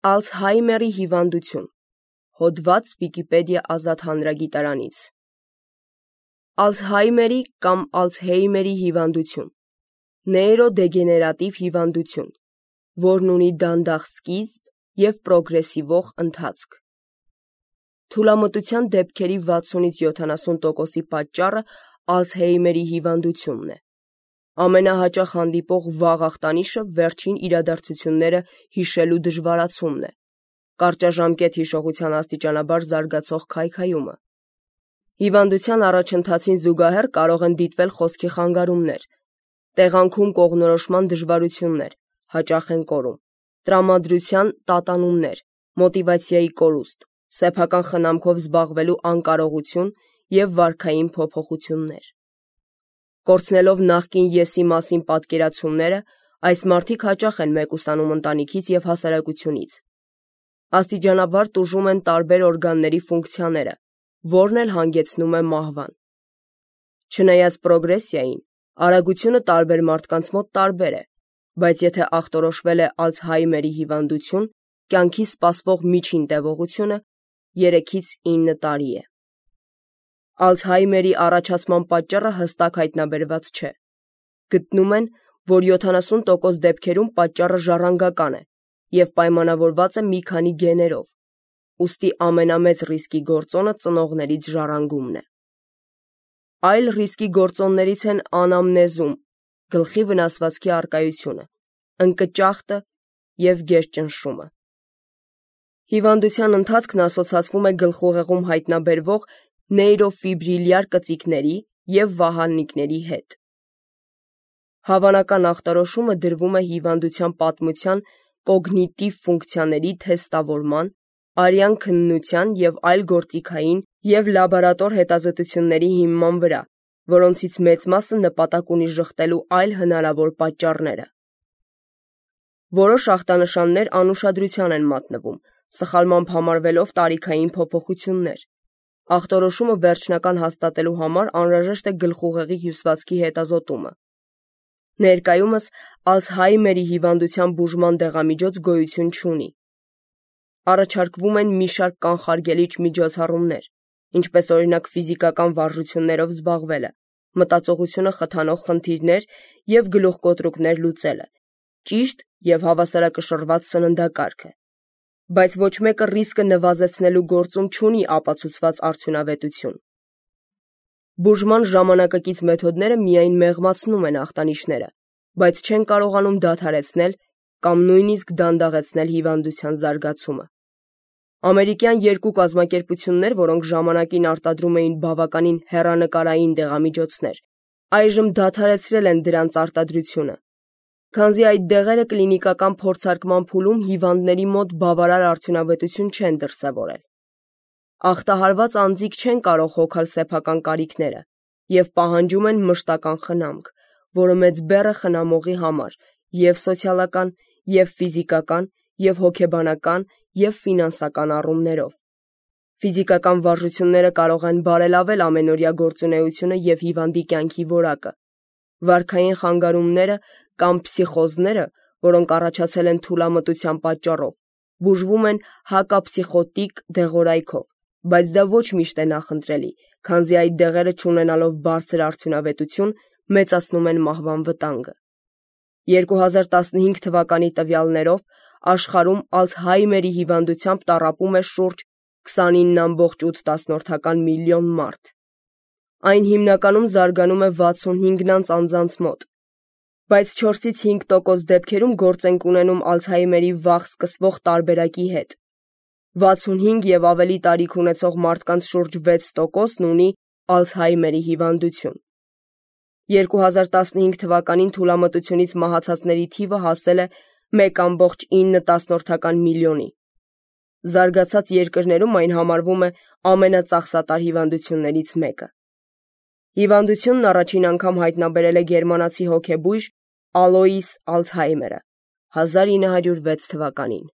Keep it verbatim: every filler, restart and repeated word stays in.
Ալցհայմերի հիվանդություն։ Հոդված Վիկիպեդիա ազատ հանրագիտարանից։ Ալցհայմերի կամ Ալցհեյմերի հիվանդություն նեյրոդեգեներատիվ հիվանդություն, որն ունի դանդաղ սկիզբ և պրոգրեսիվող ընթացք։ Թուլամտության դեպքերի վաթսունից յոթանասուն տոկոսի պատճառը Ալցհեյմերի հիվանդությունն է։ Ամենահաճախ հանդիպող վաղ ախտանիշը վերջին իրադարձությունները հիշելու դժվարացումն է, կարճաժամկետ հիշողության աստիճանաբար զարգացող քայքայումը։ Հիվանդության առաջընթացին զուգահեռ կարող են դիտվել խոսքի խանգարումներ, տեղանքում կողմնորոշման դժվարություններ, հաճախ են կորում, տրամադրության տատանումներ, մոտիվացիայի կորուստ, սեփական խնամքով զբաղվելու անկարողություն և վարքային փոփոխություններ։ Կորցնելով նախկին եսի մասին պատկերացումները, այս մարդիկ հաճախ են մեկուսանում ընտանիքից և հասարակությունից։ Աստիճանաբար տուժում են տարբեր օրգանների ֆունկցիաները, որն էլ հանգեցնում է մահվան։ Չնայած պրոգրեսիային, արագությունը տարբեր մարդկանց մոտ տարբեր է, բայց եթե ախտորոշվել է Ալցհայմերի հիվանդություն, կյանքի սպասվող միջին տևողությունը երեքից ինը տարի է։ Ալցհայմերի առաջացման պատճառը հստակ հայտնաբերված չէ։ Գտնում են, որ յոթանասուն տոկոս դեպքերում պատճառը ժառանգական է և պայմանավորված է մի քանի գեներով, ուստի ամենամեծ ռիսկի գործոնը ծնողներից ժառանգումն է։ Այլ ռիսկի գործոններից են անամնեզում, գլխի վնասվածքի առկայությունը, ընկճախտը և գերճնշումը։ Հիվանդության ընթացքն ասոցացվում է գլխուղեղում հայտնաբերվող նեյրոֆիբրիլյար կծիկների և վահանիկների հետ։ Հավանական ախտորոշումը դրվում է հիվանդության պատմության կոգնիտիվ ֆունկցիաների թեստավորման, արյան քննության և այլ գործիքային և լաբորատոր հետազոտությունների հիման վրա, որոնցից մեծ մասը նպատակ ունի ժխտելու այլ հնարավոր պատճառները։ Որոշ ախտանշաններ անուշադրության են մատնվում, սխալմամբ համարվելով տարիքային փոփոխություններ։ Ախտորոշումը վերջնական հաստատելու համար անհրաժեշտ է գլխուղեղի հյուսվածքի հետազոտումը։ Ներկայումս Ալցհայմերի հիվանդության բուժման դեղամիջոց գոյություն չունի։ Առաջարկվում են մի շարք կանխարգելիչ միջոցառումներ, ինչպես օրինակ ֆիզիկական վարժություններով զբաղվելը, մտածողությունը խթանող խնդիրներ և գլուխկոտրուկներ լուծելը, ճիշտ և հավասարակշռված սննդակարգը, բայց ոչ մեկը ռիսկը նվազեցնելու գործում չունի ապացուցված արդյունավետություն։ Բուժման ժամանակակից մեթոդները միայն մեղմացնում են ախտանիշները, բայց չեն կարողանում դադարեցնել կամ նույնիսկ դանդաղեցնել հիվանդության զարգացումը։ Ամերիկյան երկու կազմակերպություններ, որոնք ժամանակին արտադրում էին բավականին հեռանկարային դեղամիջոցներ, այժմ դադարեցրել են դրանց արտադրությունը, քանզի այդ դեղերը կլինիկական փորձարկման փուլում հիվանդների մոտ բավարար արդյունավետություն չեն դրսևորել։ Ախտահարված անձիկ չեն կարող հոգալ սեփական կարիքները և պահանջում են մշտական խնամք, որը մեծ բեռ է խնամողի համար և սոցիալական, և ֆիզիկական, և հոգեբանական, և ֆինանսական առումներով։ Ֆիզիկական վարժությունները կարող են բարելավել ամենօրյա գործունեությունը և հիվանդի կյանքի որակը։ Վարքային խանգարումները կամ փսիխոզները, որոնք առաջացել են թուլամտության պատճառով, բուժվում են հակապսիխոտիկ դեղորայքով, բայց դա ոչ միշտ է նախընտրելի, քանզի այդ դեղերը չունենալով բարձր արդյունավետություն, մեծացնում են մահվան վտանգը։ երկու հազար տասնհինգ թվականի տվյալներով աշխարհում Ալցհայմերի հիվանդությամբ տառապում է շուրջ քսանինը ամբողջ ութ միլիոն մարդ։ Այն հիմնականում զարգանում է վաթսունհինգ անձանց մոտ, բայց չորսից հինգ տոկոս դեպքերում գործ ենք ունենում Ալցհայմերի վաղ սկսվող տարբերակի հետ։ վաթսունհինգ և ավելի տարիք ունեցող մարդկանց շուրջ վեց տոկոսն ունի Ալցհայմերի հիվանդություն։ երկու հազար տասնհինգ թվականին թուլամտությունից մահացածների թիվը հասել է մեկ ամբողջ ինը միլիոնի։ Զարգացած երկրներում այն համարվում է ամենածախսատար հիվանդություններից մեկը։ Հիվանդությունն առաջին անգամ հայտնաբերել է գերմանացի հոգեբույժ Ալոիս Ալցհայմերը հազար ինը հարյուր վեց թվականին։